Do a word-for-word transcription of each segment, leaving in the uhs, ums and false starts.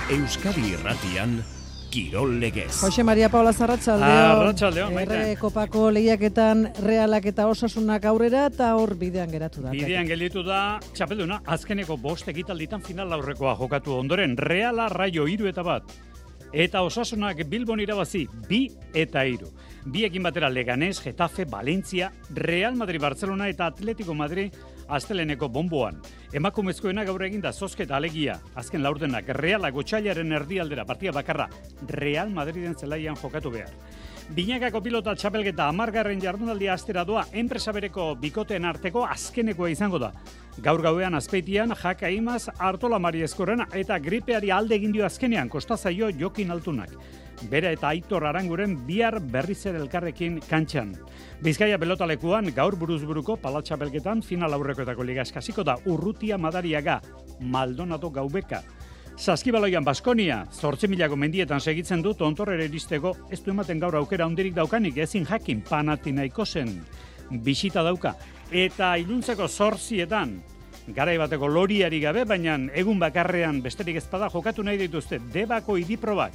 Euskadi Irratian Kirol Legez. Jose Maria Paula Arratsaldeon. Arratsaldeon, baita. Errege Kopako lehiaketan Realak eta Osasunak aurrera eta hor bidean geratu da. Bidean gelditu da txapelduna azkeneko bost ekitalditan final aurrekoa jokatu ondoren Reala Raio hiru eta bat. Eta Osasunak Bilbon irabazi bi eta hiru. Biekin batera Leganés, Getafe, Valencia, Real Madrid, Barcelona eta Atletico Madrid asteleneko bomboan. Emakumezkoena gaur eginda zozketa alegia. Azken laurdenak Realak otsailaren erdialdera partida bakarra Real Madriden zelaian jokatu behar. Binakako pilota txapelketa hamargarren jardunaldia astera doa, enpresa bereko bikoteen arteko azkenekoa izango da. Gaur gauean Azpeitian Jaka Imaz Artola Mari Eskorrena eta gripeari alde egin dio azkenean kostazaio Jokin Altunak. Bera eta Aitor Aranguren bihar berriz ere elkarrekin kantxan. Bizkaia pelotalekuan gaur buruzburuko palatxapelketan final aurrekoetako liga eskasiko da Urrutia Madariaga, Maldonado Gaubeka. Saskibaloian Baskonia, zortzi milako mendietan segitzen du tontorrera iristeko, ez du ematen gaur aukera handirik daukanik, ezin jakin Panathinaikosen bisita dauka. Eta iluntzeko zortzietan, garai bateko loriari gabe, baina egun bakarrean besterik ezpada jokatu nahi dituzte Debako idiprobak.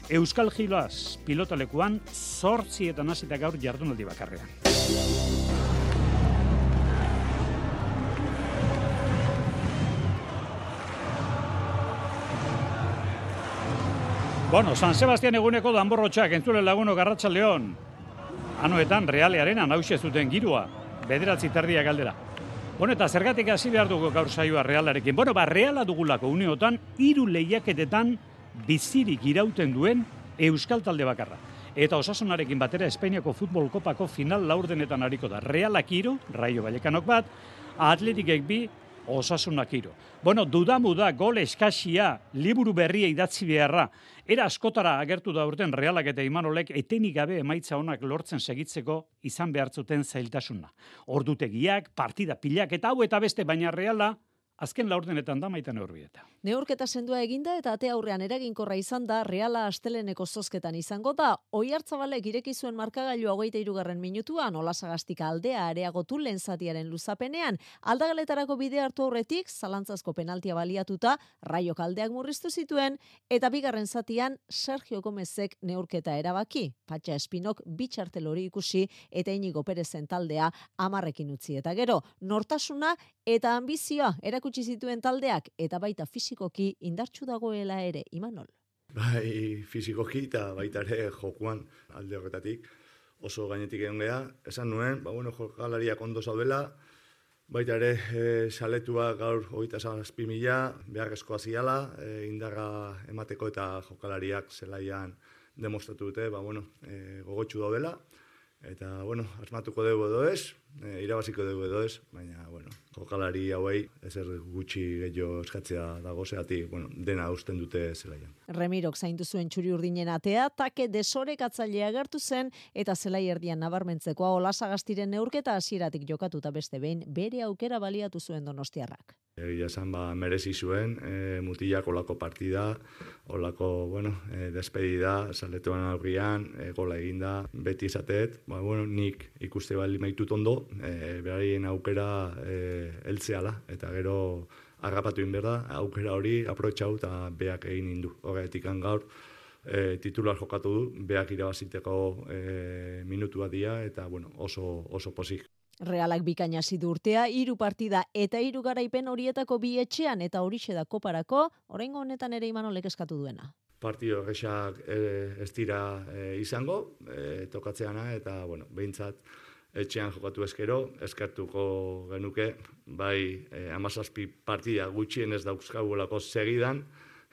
Euskal Gilaz pilotalekuan zortzietan hasita gaur jardunaldi bakarrean. Bueno, San Sebastian eguneko danborrotxak entzule laguno Arratsaldeon. Anoetan Realearen anauxe zuten girua, bederatzi terdiak aldera. Bueno, eta zergatik hasi behar dugu gaur saioa Realarekin. Bueno, ba, Reala dugulako uneotan, hiru lehiaketetan bizirik irauten duen Euskal talde bakarra. Eta Osasunarekin batera Espainiako Futbol Kopako final laurdenetan hariko da. Realak hiru, Raio Vallecanok bat, Atletikek bi, Osasunak hiru. Bueno, dudamu da gol eskasia, liburu berria idatzi beharra. Era askotara agertu da urten Realak eta Imanolek etenik gabe emaitza onak lortzen segitzeko izan behartzuten zailtasuna. Ordutegiak, partida pilak eta hau eta beste, baina Reala azken laurdenetan da maita neurbieta. Neurketa sendua eginda eta ate aurrean eraginkorra izan da Reala asteleneko zozketan izango da. Oiartzabalek ireki zuen markagailua hogeita hirugarren minutuan, Olasagastik aldea areagotu lehen zatiaren luzapenean. Aldagaletarako bide hartu aurretik, zalantzazko penaltia baliatuta, Raiok aldeak murriztu zituen, eta bigarren zatian Sergio Gomezek neurketa erabaki. Patxa Espinok bitxartel hori ikusi eta Inigo Perezen taldea hamarrekin utzi. Eta gero, nortasuna eta ambizioa erakutsi zituen taldeak eta baita fisikoki indartsu dagoela ere, Imanol. Bai, fisikoki eta baita ere jokuan alde horretatik oso gainetik egon geha. Esan nuen, ba, bueno, jokalariak ondo zaudela, baita ere e, saletua gaur hogeita zazpi mila, beharrezkoa ziala, e, indarra emateko eta jokalariak zelaian demostratu dute, ba, bueno, e, gogotsu daudela. Eta, bueno, asmatuko dugu edo ez, e, irabaziko dugu edo ez, baina, bueno, jokalari hauei ezer gutxi gehiago eskatzea dago zeatik, bueno, dena usten dute zelaian. Remirok zaindu zuen txuri urdinen atea, take desorekatzailea agertu zen, eta zelai erdian nabarmentzekoa Olasagastiren neurketa hasieratik jokatuta beste behin, bere aukera baliatu zuen Donostiarrak. Egia esan, ba, merezi zuen, e, mutilak olako partida, olako, bueno, e, despedida, saletuan aurrian, e, gola eginda, beti izatet, ba, bueno, nik ikuste bali maitut ondo, e, beraien aukera e, eltzeala, eta gero harrapatu inberda, aukera hori aprotxau eta beak egin indu. Horretik gaur, e, titular jokatu du, beak irabaziteko e, minutua dia, eta, bueno, oso, oso posik. Realak bikaina zidu urtea, hiru partida eta hiru garaipen horietako bi etxean eta horixe da koparako, oraingo honetan ere Imanolek eskatu duena. Partido erresak e, ez dira e, izango, e, tokatzeana, eta, bueno, behintzat etxean jokatu eskero, eskertuko genuke, bai e, amazazpi partida gutxien ez dauzkagulako segidan,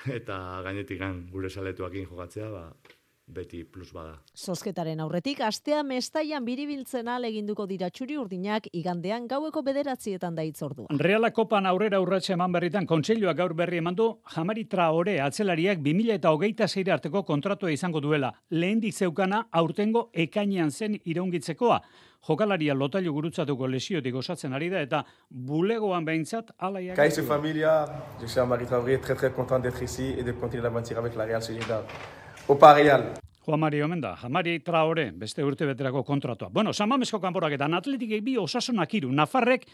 eta gainetik gure saletuakin jokatzea, ba, beti plus bada. Zozketaren aurretik, astea Mestaian biribiltzen aleginduko dira txuri urdinak igandean gaueko bederatzietan da itzordua. Reala kopan aurrera urratxe eman berritan kontseiluak gaur berri eman du Jamari Traore atzelariak bi mila hogeita sei arteko kontratua izango duela. Lehendik zeukana aurtengo ekainean zen iraungitzekoa. Jokalaria lotailu gurutzatuko lesiotik osatzen ari da eta bulegoan behintzat alaiak. Kaixo familia, je suis Jamari Traoré, très très content d'être ici et de continuer l'aventure avec la Real Sociedad. Opa Real. Juan Mari omen da, Jamari Traore, beste urte beterako kontratua. Bueno, San Mamesko kanporaketan Atletikek bi Osasunak hiru, Nafarrek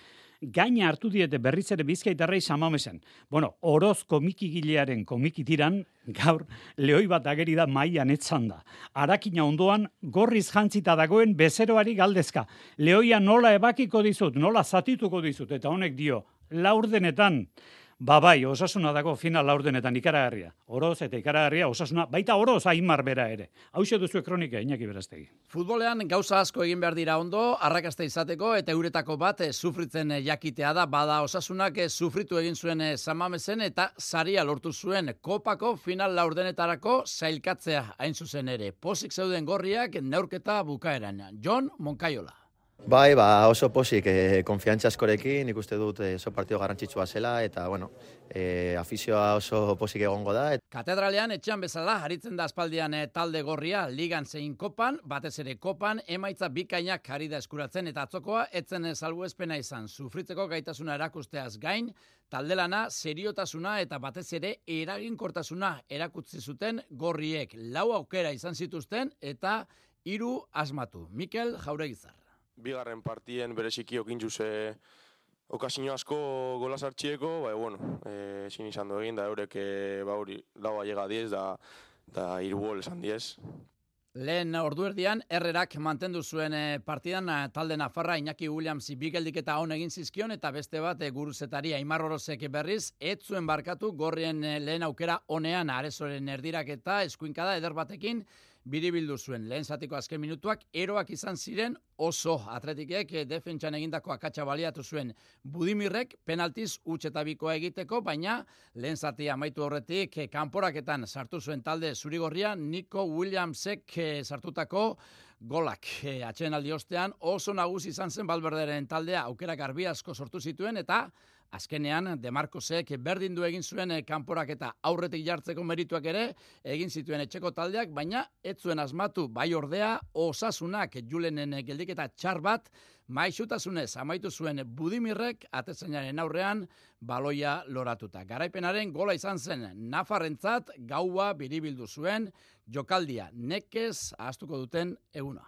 gaina hartu diete berriz ere Bizkaitarrei Samamesen. Bueno, Oroz komikigilearen komikitiran, gaur, lehoi bat ageri da mailan etzan da. Arakina ondoan, gorriz jantzita dagoen bezeroari galdezka. Lehoia nola ebakiko dizut, nola zatituko dizut, eta honek dio, laurdenetan, ba bai, Osasuna dago final laurdenetan ikaragarria. Oroz eta ikaragarria Osasuna, baita Oroz Aimar bera ere. Hauxe duzu kronika, Iñaki Berastegi. Futbolean gauza asko egin behar dira ondo, arrakasta izateko eta euretako bat sufritzen jakitea da, bada Osasunak sufritu egin zuen Samamesen eta saria lortu zuen kopako final laurdenetarako sailkatzea hain zuzen ere. Pozik zeuden gorriak neurketa bukaeran. Jon Moncayola. Bai, ba, oso posik, eh, konfiantza askorekin, ikuste dut eh, oso partio garrantzitsua zela, eta, bueno, eh, afizioa oso posik egongo da. Katedralean etxean bezala, aritzen da aspaldian eh, talde gorria, ligan zein kopan, batez ere kopan, emaitza bikainak ari da eskuratzen, eta atzokoa, etzen salbuespena izan, sufritzeko gaitasuna erakusteaz gain, taldelana, seriotasuna eta batez ere eraginkortasuna erakutsi zuten gorriek. Lau aukera izan zituzten, eta hiru asmatu. Mikel Jauregizar. Bigarren partien bereziki okintxuz okazio asko gola sartxieko, bai, bueno, e, ezin izan du egin, da eurek, e, ba hori, laua llega diez, da, da hiru gol esan diez. Lehen ordu erdian, Herrerak mantendu zuen partidan talde nafarra Iñaki Williamsi bigeldiketa on egin zizkion eta beste bat guruzetari Aimar Orozek berriz, ez zuen barkatu gorrien lehen aukera onean Arezoren erdiraketa eskuinkada eder batekin biribildu zuen. Lehen zatiko azken minutuak eroak izan ziren oso atletikek defentsan egindako akatsa baliatu zuen Budimirrek penaltiz utxetabikoa egiteko, baina lehen zatia amaitu horretik kanporaketan sartu zuen talde zurigorria Nico Williamsek sartutako golak. Atxeen aldi ostean oso nagusi izan zen Valverderen taldea aukera garbi asko sortu zituen eta azkenean, De Marcosek berdin du egin zuen kanporaketa aurretik jartzeko merituak ere egin zituen etxeko taldeak, baina ez zuen asmatu bai ordea Osasunak Julenen geldiketa txar bat maixutasunez amaitu zuen Budimirrek atezainaren aurrean baloia loratuta. Garaipenaren gola izan zen nafarrentzat gaua biribildu zuen jokaldia nekez ahaztuko duten eguna.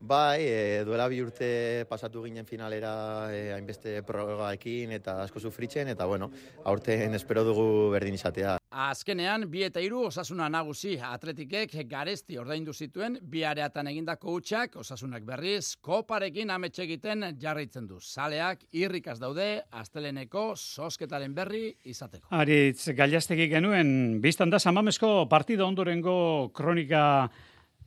Bai, e, duela bi urte pasatu ginen finalera e, hainbeste prorrogaekin eta asko sufritzen, eta bueno, aurten espero dugu berdin izatea. Azkenean, bi eta hiru Osasuna nagusi atletikek garesti ordaindu zituen, bi areatan egindako hutsak Osasunak berriz, koparekin ametxe egiten jarraitzen du. Zaleak irrikaz daude, asteleneko zozketaren berri izateko. Aritz, Gailastegi genuen, biztan da Samamesko partida ondorengo kronika.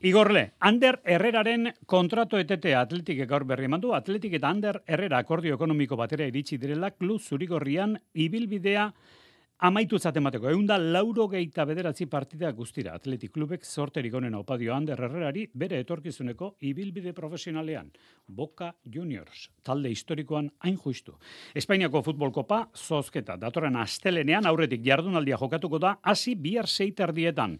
Igorle, Ander Herreraren kontratu etetea Atletikek gaur berri eman du. Atletik eta Ander Herrera akordio ekonomiko batera iritsi direla klub zurigorrian ibilbidea amaitu zatemateko. Eunda lauro geita bederatzi partida guztira. Atletik klubek zorterik honen opadio Ander Herrerari bere etorkizuneko ibilbide profesionalean. Boca Juniors, talde historikoan hain justu. Espainiako futbol kopa zozketa. Datorren astelenean aurretik jardunaldia jokatuko da hasi bihar seiterdietan.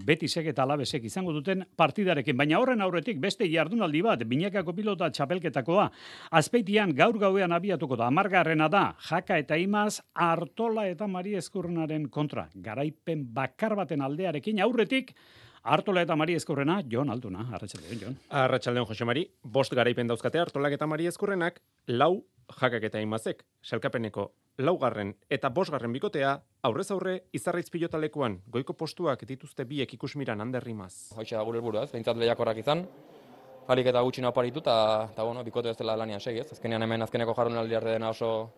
Betisek eta Alabesek izango duten partidarekin. Baina horren aurretik beste jardunaldi bat, binakako pilota txapelketakoa. Azpeitian gaur gauean abiatuko da. Amargarrena da, Jaka eta Imaz, Artola eta Mari Eskurrenaren kontra. Garaipen bakar baten aldearekin aurretik, Artola eta Mari Eskurrena, Jon Alduna. Arratsaldeon, Jon. Arratsaldeon, Jose Mari. Bost garaipen dauzkate Artolak eta Mari Eskurrenak, lau Jakak eta Imazek. Sailkapeneko laugarren eta bosgarren bikotea, aurrez aurre Izarraitz pilotalekuan goiko postuak dituzte biek ikusmiran Ander Imaz. Hoxe da gure helburua, ez? Behintzat lehiakorrak izan. Alik eta gutxi naparitu eta bueno, bikote ez dela lanian segi, ez? Azkenean hemen azkeneko jardunaldi dena oso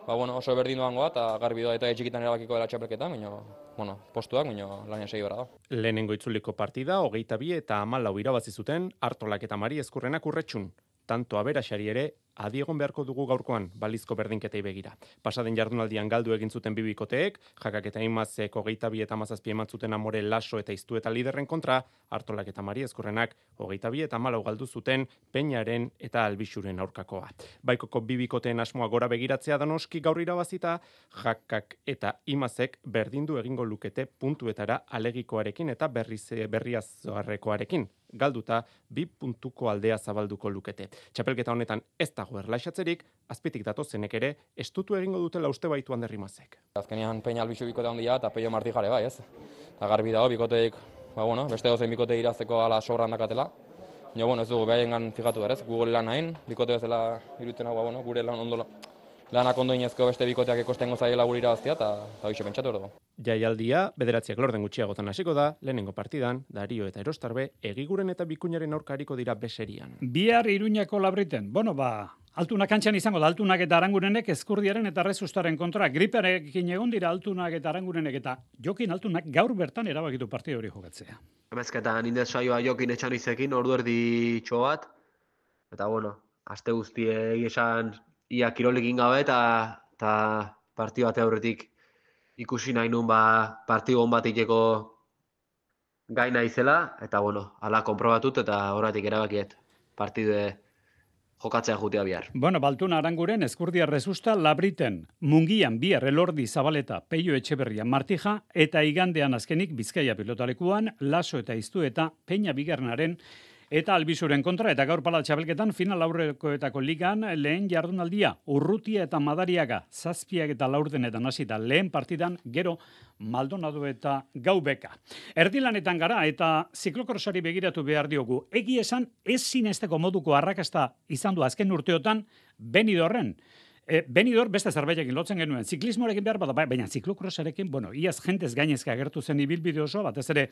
Ba, bueno, oso berdin doangoa eta garbi doa eta etxikitan erabakiko dela txapelketan, baina, bueno, postuak, baina lanian segi bera da. Lehenengo itzuliko partida, hogeita bi eta hamalau irabazi zuten Artolak eta Mari Eskurrenak urretxun. Tanto aberaxari ere, adiegon beharko dugu gaurkoan balizko berdinketei begira. Pasaden jardunaldian galdu egin zuten bibikoteek, Jakak eta Imazek hogeita bi eta hamazazpi eman zuten Amore Laso eta Iztu eta Liderren kontra, Artolak eta Mari Eskurrenak hogeita bi eta hamalau galdu zuten Peñaren eta Albixuren aurkakoa. Baikoko bibikoteen asmoa gora begiratzea danoski gaur irabazita, Jakak eta Imazek berdindu egingo lukete puntuetara alegikoarekin eta berriz berriazarrekoarekin. Galduta bi puntuko aldea zabalduko lukete. Txapelketa honetan ez dago erlaixatzerik, azpitik datozenek ere estutu egingo dutela uste baitu Ander Imazek. Azkenean Peña Albixu bikote handia eta Peio Marti jare bai, ez? Eta garbi dago bikoteik, ba bueno, beste dozein bikote irazteko ala sobran dakatela. Jo, bueno, ez dugu behaien fijatu da, ez? Google lan hain, bikote ez dela irutzen hau, ba, bueno, gure lan ondo lanak ondo inezko beste bikoteak ekostengo zaiela guri irabaztia, eta hoxe pentsatu erdo. Jaialdia, bederatziak lorden gutxiagotan hasiko da, lehenengo partidan, Dario eta Erostarbe, Egiguren eta Bikuñaren aurkariko dira beserian. Bihar Iruñako Labriten. Bueno, ba, Altunak kantxan izango da, Altunak eta Arangurenek Ezkurdiaren eta Rezustaren kontra. Gripearekin egon dira Altunak eta Arangurenek eta Jokin Altunak gaur bertan erabakitu partida hori jokatzea. Emezketan indez saioa Jokin etxan izekin, ordu erdi txo bat. Eta bueno, aste guztie esan ia kirolekin gabe eta, eta partio bate aurretik ikusi nahi nun ba, partio on bat iteko gaina izela. Eta bueno, ala konprobatut eta horretik erabakiet partide jokatzea jutea bihar. Bueno, Baltuna Aranguren, Ezkurdia Resusta, Labriten, Mungian, bihar Elordi Zabaleta, Peio Etxeberria, Martija, eta igandean azkenik Bizkaia pilotalekuan, Laso eta Iztu eta Peña Bigernaren eta Albizuren kontra, eta gaur pala txabelketan final aurrekoetako ligan lehen jardunaldia, Urrutia eta Madariaga, zazpiak eta laurdenetan hasita lehen partidan, gero Maldonado eta Gaubeka. Erdilanetan gara eta ziklokrosari begiratu behar diogu. Egi esan ez zinesteko moduko arrakasta izan du azken urteotan Benidorren. E, Benidor beste zerbaitekin lotzen genuen, ziklismorekin behar bada, baina ziklokrosarekin, bueno, iaz jentez gainezka agertu zen ibilbide oso, batez ere,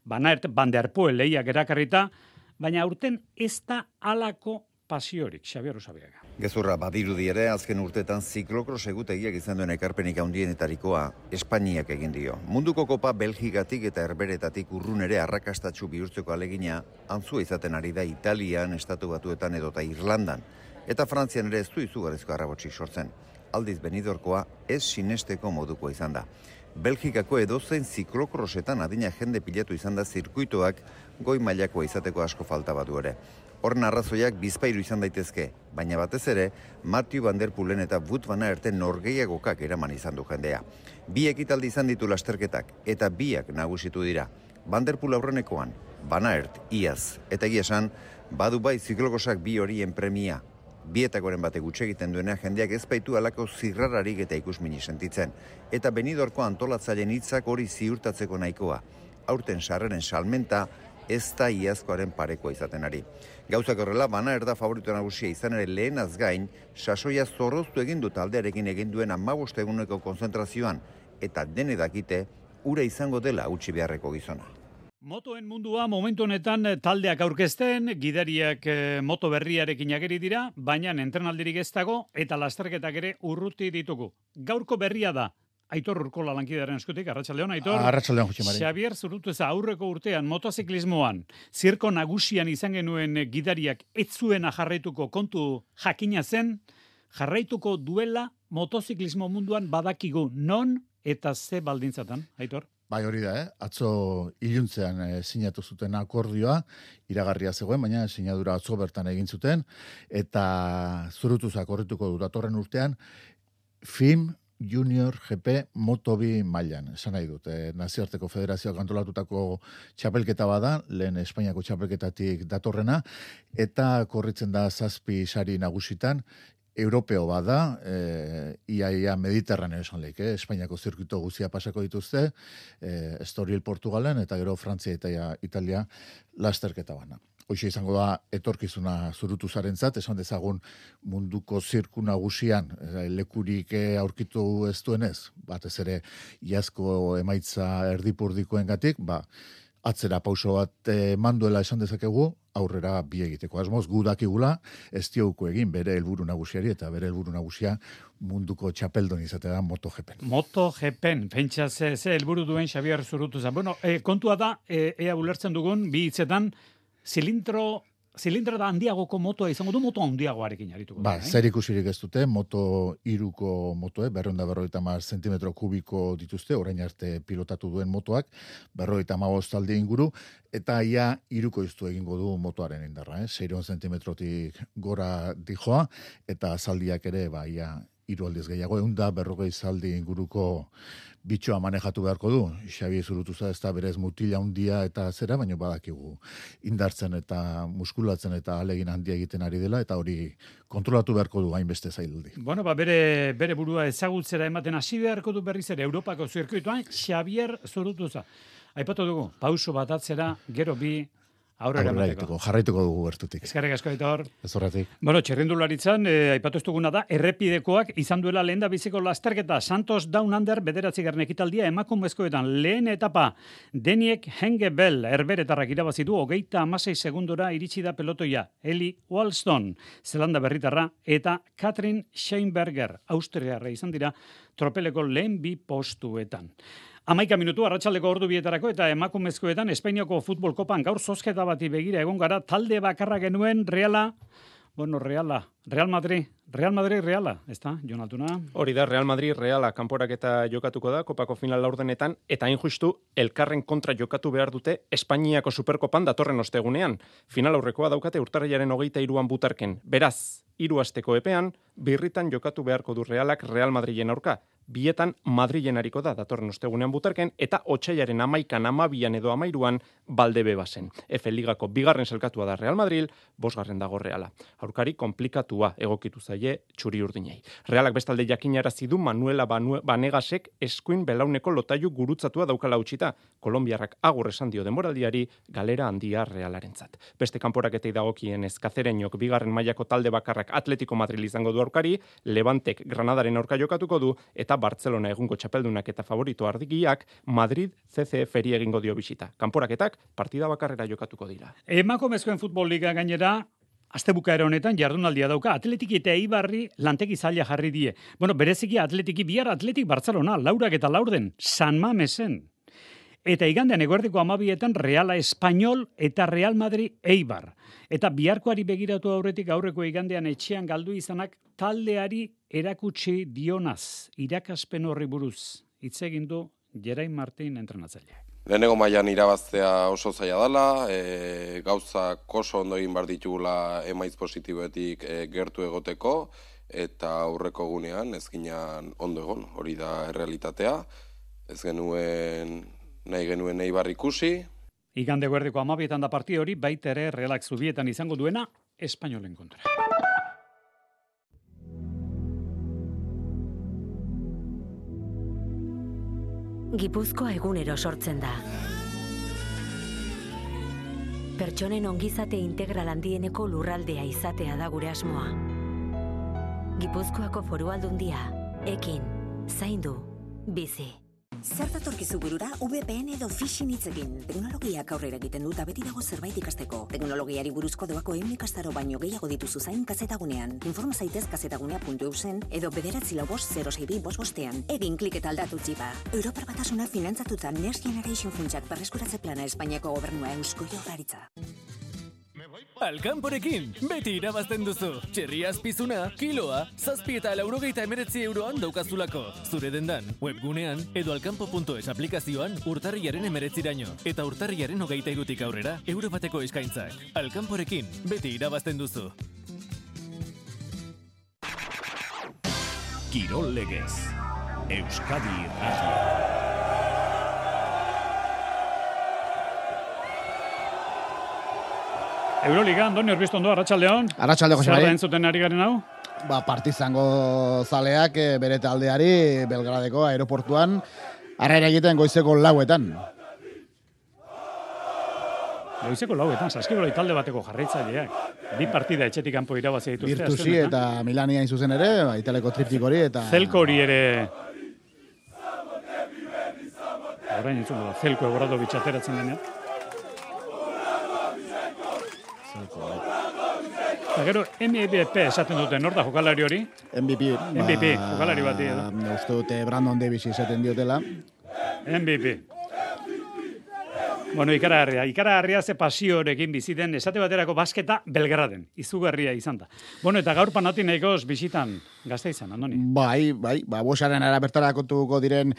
banaert banderpoe lehiak erakarrita, baina aurten ez da halako pasiorik, Xabier Usabiaga. Gezurra badirudi ere, azken urtetan ziklokros egutegiak izan duen ekarpenik handienetarikoa Espainiak egin dio. Munduko kopa Belgikatik eta Herberetatik urrun ere arrakastatsu bihurtzeko alegina, antzua izaten ari da Italian, Estatu Batuetan edota Irlandan, eta Frantzian ere ez du izugarrizko arrabotsik sortzen. Aldiz Benidorkoa ez sinesteko moduko izan da. Belgikako edozein ziklokrosetan adina jende pilatu izan da zirkuitoak goi mailakoa izateko asko falta badu ere. Horren arrazoiak bizpairu izan daitezke, baina batez ere, Mathieu Van Der Poelen eta Wout van Aert norgehiagokak eraman izan du jendea. Bi ekitaldi izan ditu lasterketak, eta biak nagusitu dira. Van Der Poel aurrenekoan, Van Aert iaz, eta egia esan, badu bai ziklokosak bi horien premia. Bietakoren bate gutxe egiten duena jendeak ez baitu alako zirrararik eta ikusmini sentitzen. Eta Benidorko antolatzaileen hitzak hori ziurtatzeko nahikoa. Aurten sarreren salmenta ez da iazkoaren parekoa izaten ari. Gauzak horrela, Van Aert da favorito nagusia izan ere lehenaz gain, sasoia zorroztu egin du taldearekin egin duen hamabost eguneko konzentrazioan, eta dene dakite, ura izango dela utzi beharreko gizona. Motoen mundua momentu honetan taldeak aurkezten, gidariak eh, moto berriarekin ageri dira, baina entrenaldirik ez dago eta lasterketak ere urruti ditugu. Gaurko berria da, Aitor Urkola lankidaren eskutik, Arratsaldeon, Aitor. Arratsaldeon, Jose Mari. Xabier Zurutuza aurreko urtean motoziklismoan, zirko nagusian izan genuen gidariak ez zuena jarraituko kontu jakina zen, jarraituko duela motoziklismo munduan badakigu non eta ze baldintzatan, Aitor? Bai, hori da, eh? Atzo iluntzean eh, sinatu zuten akordioa, iragarria zegoen, baina sinadura atzo bertan egin zuten, eta Zurutuzak horretuko du datorren urtean, F I M Junior G P Moto bi mailan, esan nahi dut, eh, nazioarteko federazioak antolatutako txapelketa bada, lehen Espainiako txapelketatik datorrena, eta korritzen da zazpi sari nagusitan, Europeo bada, e, ia, ia Mediterraneo esan leik, eh? Espainiako zirkuito guzia pasako dituzte, e, Estoril Portugalen, eta gero Frantzia eta Italia lasterketa bana. Hoxe izango da etorkizuna Zurutuzarentzat, esan dezagun munduko zirku nagusian e, lekurik aurkitu ez duenez, batez ere iazko emaitza erdipurdikoengatik, ba, atzera pauso bat eman duela esan dezakegu, aurrera bi egiteko asmoz, gu dakigula, ez diogu egin bere helburu nagusiari, eta bere helburu nagusia munduko txapeldon izatea da MotoGPen. MotoGPen, pentsa ze, ze helburu duen Xabier Zurutuza. Bueno, e, kontua da, e, ea ulertzen dugun, bi hitzetan, zilindro, zilindro da handiagoko motoa izango du, moto handiagoarekin arituko. Ba, zer ikusirik ez dute, moto iruko motoe, berreunda berroita mar zentimetro kubiko dituzte, orain arte pilotatu duen motoak, berroita magoz talde inguru, eta ia iruko iztu egingo du motoaren indarra, eh? seiron zentimetrotik gora dijoa, eta zaldiak ere, ba, ia hiru aldiz gehiago, eunda berrogei zaldi inguruko bitxoa manejatu beharko du. Xabi Zurutuza ez da berez mutila handia eta zera, baina badakigu indartzen eta muskulatzen eta alegin handia egiten ari dela, eta hori kontrolatu beharko du hainbeste zaildi. Bueno, ba, bere, bere burua ezagutzera ematen hasi beharko du berriz ere Europako zirkuitoan, Xabier Zurutuza. Aipatu dugu, pauso bat atzera, gero bi, Aurrera emateko. Jarraituko dugu bertutik. Eskerrik asko, Aitor. Ez horretik. Bueno, txerrindularitzan, eh, aipatu ez duguna da, errepidekoak izan duela lehen da biziko lasterketa. Santos Down Under bederatzi garren ekitaldia emakumezkoetan lehen etapa Deniek Hengebel erberetarrak irabazi du hogeita hamasei segundora iritsi da pelotoia. Eli Walston, Zelanda berritarra, eta Katrin Scheinberger, Austriarra izan dira, tropeleko lehen bi postuetan. Amaika minutu, arratsaldeko ordu bietarako eta emakumezkoetan Espainiako futbol kopan gaur zozketa bati begira egon gara, talde bakarra genuen Reala, bueno, Reala, Real Madrid, Real Madrid, Reala, ez da, Jon Altuna? Hori da, Real Madrid, Reala, kanporaketa jokatuko da, kopako final laurdenetan, eta hain justu, elkarren kontra jokatu behar dute Espainiako superkopan datorren ostegunean. Final aurrekoa daukate urtarrilaren hogeita hiruan butarken. Beraz, hiru asteko epean, birritan jokatu beharko du Realak Real Madrilen aurka. Bietan Madrilen hariko da datorren ostegunean butarken, eta otsailaren amaikan, amabian edo amairuan Baldebe bazen. Efe Ligako bigarren selkatua da Real Madrid, bosgarren dago Reala. Aurkari komplikatua egokitu zaie txuri urdinei. Realak bestalde jakinarazi du Manuela Banegasek eskuin belauneko lotailu gurutzatua daukala utzita. Kolonbiarrak agur esan dio denboraldiari galera handia Realarentzat. Beste kanporaketei dagokien Kazereñok bigarren mailako talde bakarrak Atletico Madrid izango du aurkari, Levantek Granadaren aurka jokatuko du, eta Barcelona egungo txapeldunak eta favorito ardigiak Madrid C C F-eri egingo dio bisita. Kanporaketak partida bakarrera jokatuko dira. Emakumezkoen futbol liga gainera, astebukaera honetan jardunaldia dauka, Atletiki eta Eibarri lantegi zaila jarri die. Bueno, bereziki Atletiki, bihar Atletik Barcelona, Laurak eta Laurden, San Mamesen. Eta igandean eguerdiko amabietan Reala Español eta Real Madrid Eibar. Eta biharkoari begiratu aurretik aurreko igandean etxean galdu izanak taldeari erakutsi dionaz, irakaspen horri buruz. Hitz egin du Jerain Martin entrenatzailea. Lehenengo mailan irabaztea oso zaila dela, e, gauzak oso ondo egin behar ditugula emaitz positiboetik e, gertu egoteko, eta aurreko gunean ez ginean ondo egon, hori da errealitatea, ez genuen nahi genuen Eibar ikusi. Igande guerdiko amabietan da partida hori, baita ere Realak zubietan izango duena, Espainolen kontra. Gipuzkoa egunero sortzen da. Pertsonen ongizate integral handieneko lurraldea izatea da gure asmoa. Gipuzkoako Foru Aldundia, ekin, zaindu, bizi. Zer datorkizu burura V P N edo phishing hitzekin. Teknologiak aurrera egiten dut beti dago zerbait ikasteko. Teknologiari buruzko doako ehun ikastaro baino gehiago dituzu zain kazetagunean. Informa zaitez kazetagunea puntu eusen edo bederatzi lau bost zero sei bi bost bostean. Egin klik eta aldatu txipa. Europar Batasuna finantzatuta Next Generation funtsak berreskuratze plana Espainiako gobernua Eusko Jaurlaritza. Alkanporekin, beti irabazten duzu. Txerria azpizuna, kiloa, zazpi eta laurogeita emeretzi euroan daukazulako. Zure dendan, webgunean, edo alkanpo puntu es aplikazioan urtarriaren emeretziraino. Eta urtarriaren hogeita irutik aurrera, euro bateko eskaintzak. Alkanporekin, beti irabazten duzu. Kirol Legez, Euskadi Irratia. Euroliga, Andoni Orbiztondo, Arratsaldeon. Arratsaldeon, Jose Mari. Zer da entzuten ari garen hau? Ba, Partizango zaleak e, bere taldeari Belgradeko aeroportuan arraira egiten goizeko lauetan. Goizeko lauetan, Saskibaloi talde bateko jarraitzaileak. Bi partida etxetik kanpo irabazi dituzte. Virtusi eta Milania hain zuzen ere, ba, Italeko triptik hori eta... Zelko hori ere... Orain entzun da, Zelko Obradovic ateratzen denean. Eta gero, M V P esaten duten, nor da jokalari hori? M V P. M V P, ba, jokalari bati edo. Uste dute Brandon Davis izaten diotela. M V P. Bueno, ikaragarria. Ikaragarria ze pasiorekin biziten, esate baterako basketa Belgraden. Izugarria izan da. Bueno, eta gaur Panathinaikos bisitan gazte izan, Andoni. Bai, bai, ba, bosaren ara bertarakotuko diren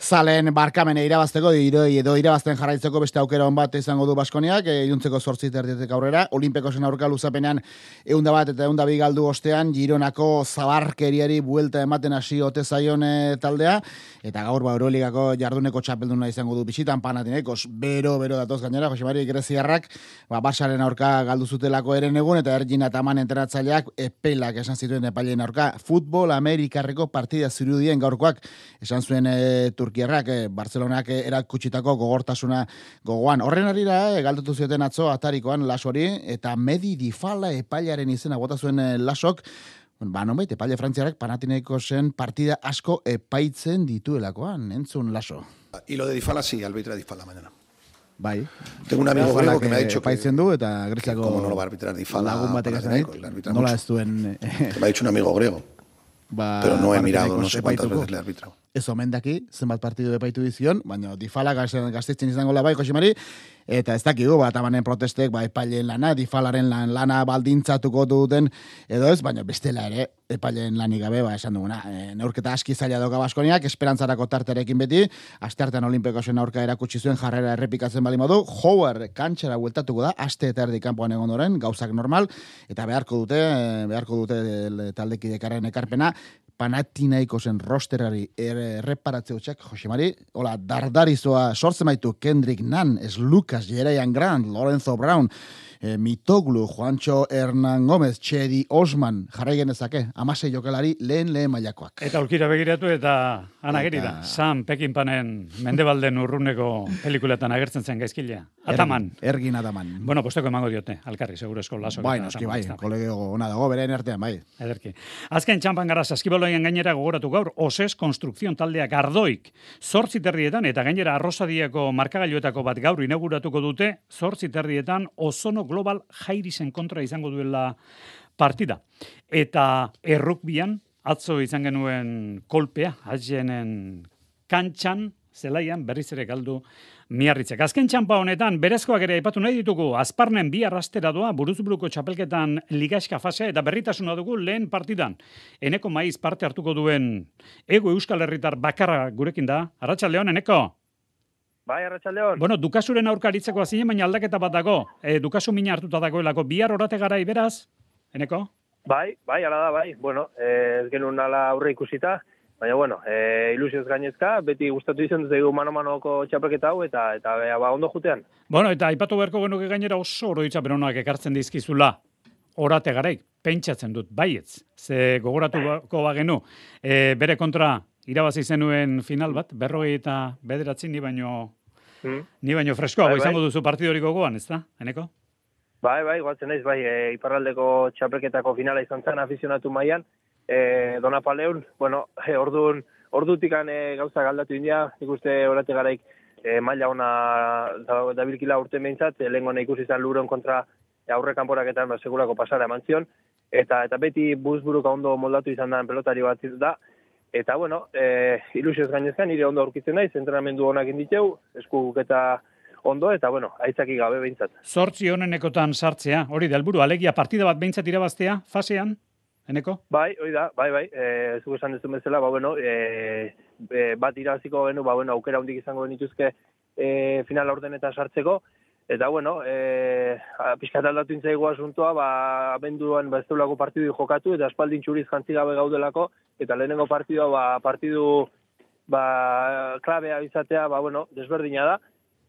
zalen barkamene irabazteko, iroi edo irabazten jarraitzeko beste aukera on bat izango du Baskoniak, e, iluntzeko zortzi terdiatek aurrera, Olimpekosen aurka luzapenean eunda bat eta eunda bi galdu ostean, Gironako zabarkeriari buelta ematen hasi ote zaion e, taldea, eta gaur ba, Euroligako jarduneko txapelduna izango du bisitan Panathinaikos, bero, bero datoz gainera, Jose Mari Greziarrak, ba, Barsaren aurka galdu zutelako eren egun, eta Ergin Ataman entrenatzaileak epelak esan zituen epaileen aurka, futbol Amerikarreko partida zirudien gaurkoak, esan zuen e, Turkiarrak, e, Barcelonak e, erakutsitako gogortasuna gogoan. Horren harira, e, galdutu zioten atzo atarikoan lasori, eta Medi Difala epailaren izena bota zuen e, lasok, ba, nonbait, epaile frantziarrak Panathinaikosen partida asko epaitzen dituelakoan, entzun laso. Y lo de Difala, sí, arbitra Difala mañana. Bai. Tengo un amigo griego que me ha dicho que... Epaitzen du, eta Greziako... ¿Cómo no lo va a arbitrar Difala? Lagun batek esan dit, nola ez duen... Me ha dicho un amigo griego. Ba, pero no he mirado, no sé cuántas veces le he arbitrado. Ez omen daki, zenbat partidu epaitu dizion, baina Difala gaztetzen izango la bai, Josimari, eta ez dakigu, bat amanen protestek, ba, epaileen lana, Difalaren lan, lana baldintzatuko duten, edo ez, baina bestela ere, epaileen lanik gabe, ba, esan duguna, e, neurketa aski zaila doka Baskoniak, esperantzarako tarterekin beti, asteartean Olimpekosen aurka erakutsi zuen jarrera errepikatzen bali modu, Howard kantxara bueltatuko da, aste eta erdi kanpoan egon doren, gauzak normal, eta beharko dute, beharko dute taldekidekaren ekarpena, Panathinaikosen rosterari erreparatze hutsak, Josemari, hola, dardarizoa sortzen baitu Kendrick Nunn, es Lucas, Jeraian Grant, Lorenzo Brown, e, Mitoglu, Juancho Hernán Gómez, Txedi Osman, jarrai genezake, amasei jokalari lehen lehen mailakoak. Eta aurkira begiratu eta anageri da, Sam Peckinpanen Mendebalden urruneko pelikuletan agertzen zen gaizkilea. Ataman. Ergin Ataman. Bueno, posteko emango diote, alkarri, seguro esko laso. Bai, noski, bai, kolegio ona dago, beren artean, bai. Ederki. Azken txampan gara saskibaloien gainera gogoratu gaur, Oses Konstrukzion taldeak Ardoik, zortzi terrietan, eta gainera Arrosadiako markagailuetako bat gaur inauguratuko dute, zortzi terrietan Ozono Global Jairisen kontra izango duela partida. Eta errukbian, atzo izan genuen kolpea, azenen kantxan, zelaian berriz ere galdu Miarritzek. Azken txampa honetan, berezkoak ere aipatu nahi ditugu, Azparnen bi arrastera doa, buruzburuko txapelketan ligaxka fasea, eta berritasuna dugu lehen partidan. Eneko Maiz parte hartuko duen Ego Euskal Herritar bakarra gurekin da. Arratsaldeon, Eneko? Bai, arratsaldeon. Bueno, Dukasuren aurka aritzeko azine, baina aldaketa bat dago. E, Dukasu mina hartuta dagoelako, bihar orate garai beraz, Eneko? Bai, bai, ala da, bai. Bueno, ez genuen ala aurre ikusita, baina, bueno, e, ilusioz gainezka, beti gustatu izan dut egu mano-manoko txapelketa hau, eta eta ba, ondo jutean. Bueno, eta aipatu beharko genuke gainera oso oroitzapen honak ekartzen dizkizula, orate garaik, pentsatzen dut, baietz, ze gogoratuko bagenu, e, bere kontra irabazi zenuen final bat, berrogei eta bederatzi ni baino, hmm. ni baino freskoago bai, bai. Izango duzu partidorik gogoan, ez da, Eneko? Bai, bai, guatzen naiz, bai, e, iparraldeko txapelketako finala izan zen afizionatu mailan, E, Donapaleun, bueno, e, orduan, ordutikan e, gauza galdatu india, ikuste orate garaik e, maila ona dabilkila urte behintzat, e, lehen gona ikusi izan Luron kontra aurre kanporaketan ba, segurako pasara eman zion, eta, eta beti buzburuka ondo moldatu izan da pelotari bat da, eta bueno, e, ilusioz gainezkan, nire ondo aurkitzen naiz, entrenamendu honak inditeu, eskuk eta ondo, eta bueno, aitzaki gabe behintzat. Zortzi honenekotan sartzea, hori da helburu, alegia partida bat behintzat irabaztea, fasean? Eneko? Bai, hori da, bai, bai, e, zuko esan dezun bezala, ba, bueno, e, e, bat iraziko genu, ba, bueno, aukera hundik izango benituzke e, final ordenetan sartzeko, eta, bueno, e, pixkat aldatu intzaigu asuntoa, ba, abenduan ba, ez deulako partidu jokatu, eta espaldin txuriz jantzi gabe gaudelako, eta lehenengo partidua, ba, partidu, ba, klabea izatea, ba, bueno, desberdina da,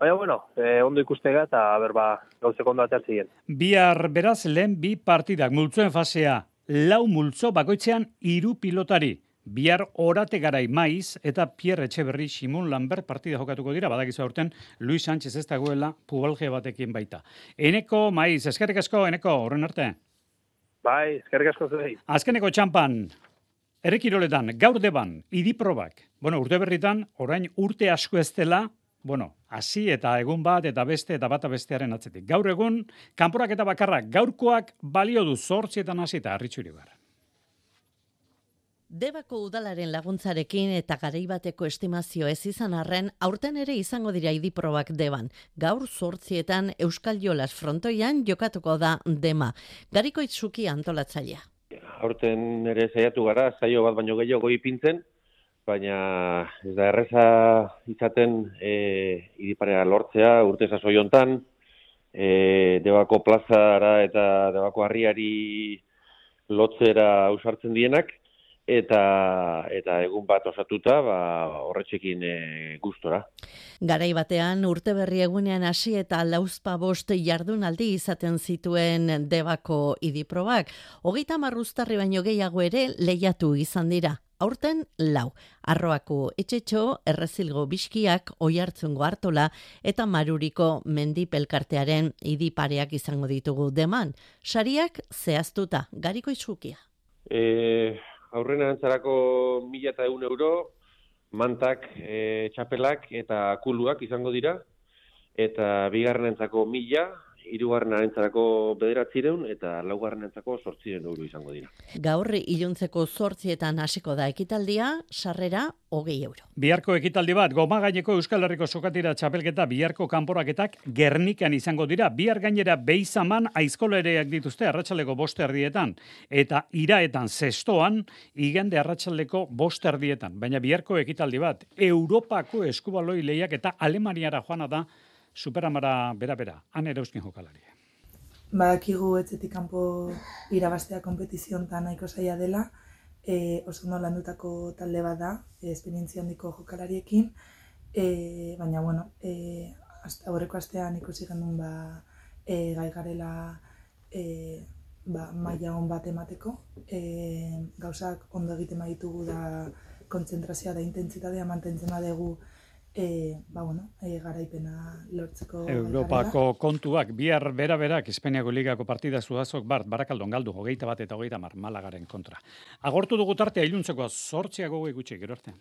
baina, bueno, e, ondo ikustega, eta, ber, ba, gauzeko ondo atzertzien. Bihar beraz, lehen bi partidak, multzuen fasea, lau multzo bakoitzean hiru pilotari. Bihar orate garai Maiz eta Pierre Etxeberri Simon Lambert partida jokatuko dira, badakizu aurten Luis Sánchez ez dagoela pubalge batekin baita. Eneko Maiz, eskerrik asko, Eneko, horren arte. Bai, eskerrik asko zuei. Azkeneko txampan, errekiroletan, gaur deban, idiprobak. Bueno, urte berritan, orain urte asko ez dela, bueno, hasi eta egun bat eta beste eta bata bestearen atzetik. Gaur egun, kanporak eta bakarrak gaurkoak balio du zortzietan hasi eta Arritxuri bar. Debako udalaren laguntzarekin eta garaibateko estimazio ez izan arren, aurten ere izango dira idiprobak deban. Gaur zortzietan Euskal Jolas frontoian jokatuko da dema. Gariko Itzuki antolatzailea. Aurten ere saiatu gara, saio bat baino gehiago ipintzen, baina ez da erreza izaten e, idiparea lortzea urte sasoi hontan, e, Debako plazara eta Debako harriari lotzera ausartzen dienak, eta eta egun bat osatuta, ba, horretxekin e, gustora. Garai batean urte berri egunean hasi eta lauzpa bost jardunaldi izaten zituen Debako idiprobak. Hogeita hamar uztarri baino gehiago ere lehiatu izan dira. Aurten lau, Arroako Etxetxo, Errezilgo Bizkiak, Oiartzungo Artola eta Maruriko Mendipelkartearen idipareak izango ditugu deman. Sariak zehaztuta, Gariko Izukia. E, aurrena antzarako mila eta eun euro, mantak, e, txapelak eta kuluak izango dira, eta bigarrenentzako mila, hirugarrenentzako bederatzireun eta laugarrenentzako zortzireun euro izango dira. Gaur iluntzeko zortzietan hasiko da ekitaldia, sarrera hogei euro. Biharko ekitaldi bat, Goma gaineko Euskal Herriko sokatira txapelketa biharko kanporaketak Gernikan izango dira. Bihar gainera Beizaman aizkolereak dituzte arratsaldeko bost erdietan eta Iraetan zestoan igande arratsaldeko bost erdietan. Baina biharko ekitaldi bat, Europako eskubaloi lehiak eta Alemaniara joana da Superamara bera-bera, han erauzkin jokalaria. Badakigu etxetik kanpo irabaztea konpetiziontan nahiko zaila dela, e, oso ondo landutako talde bat da, e, esperientzia handiko jokalariekin, e, baina, bueno, e, aurreko astean ikusi genuen ba, e, gai garela e, ba, maila on bat emateko, e, gauzak ondo egiten baditugu da kontzentrazioa da intentsitatea mantentzen badugu E, ba, bueno, e, garaipena lortzeko... Europako kontuak, bihar bera-berak, Espainiako ligako partida Zuazok Bart, Barakaldon galdu, hogeita bat eta hogeita mar Malagaren kontra. Agortu dugu tartea iluntzekoa, zortziago gutxi, gero artean.